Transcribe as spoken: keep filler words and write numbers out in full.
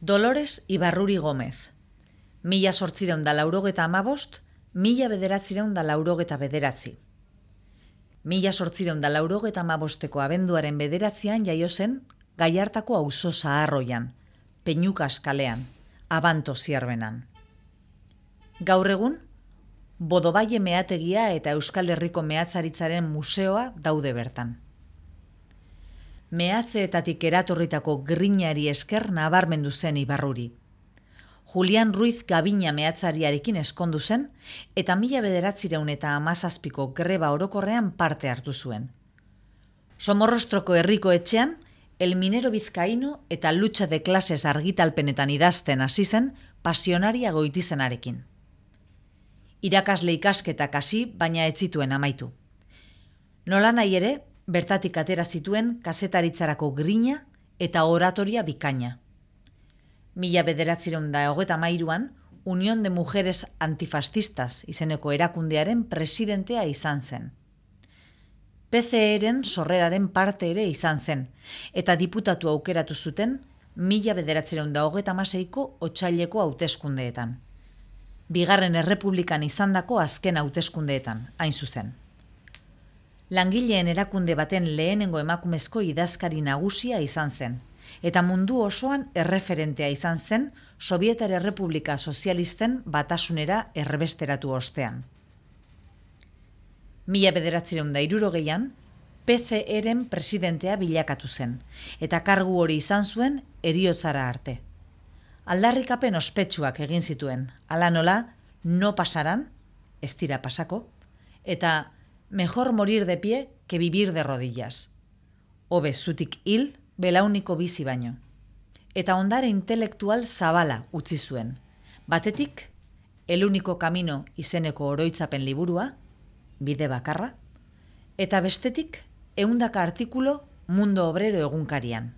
Dolores Ibarruri Gómez, mila sortzireun da laurogeta amabost, mila bederatzireun da laurogeta bederatzi. Mila sortzireun da laurogeta amabosteko abenduaren bederatzian jaio zen Gallartako auzo zaharroian, Peñukas kalean, Abanto zierbenan. Gaur egun, Bodobaile meategia eta Euskal Herriko mehatzaritzaren museoa daude bertan. Mehatzeetatik eratorritako grinari esker nabarmendu zen Ibarruri. Julian Ruiz Gabina mehatzariarekin eskondu zen eta mila bederatzireun eta hamazazpiko greba orokorrean parte hartu zuen. Somorrostroko herriko etxean, El Minero Vizcaíno eta Lucha de Clases argitalpenetan idazten hasi zen pasionaria goitizenarekin. Irakasle ikasketak hasi, baina ez zituen amaitu. Nolanahi ere, bertatik atera zituen kazetaritzarako grina eta oratoria bikaina. Mila bederatzireun da hogeta hamairuan, Unión de Mujeres Antifascistas izeneko erakundearen presidentea izan zen. P C E-ren sorreraren parte ere izan zen, eta diputatu aukeratu zuten mila bederatzireun da hogeta hamaseiko otsaileko hauteskundeetan. Bigarren Errepublikan izandako azken hauteskundeetan, hain zuzen. Langileen erakunde baten lehenengo emakumezko idazkari nagusia izan zen, eta mundu osoan erreferentea izan zen Sobietar Errepublika Sozialisten batasunera erbesteratu ostean. Mila bederatzireun da hirurogeian, P C E-ren presidentea bilakatu zen, eta kargu hori izan zuen heriotzara arte. Aldarrikapen ospetsuak egin zituen, hala nola, no pasaran, ez dira pasako, eta mejor morir de pie que vivir de rodillas. Hobe zutik hil, belauniko bizi baino. Eta ondare intelektual zabala utzi zuen. Batetik, El único camino izeneko oroitzapen liburua, bide bakarra, eta bestetik, ehundaka artikulu Mundo Obrero egunkarian.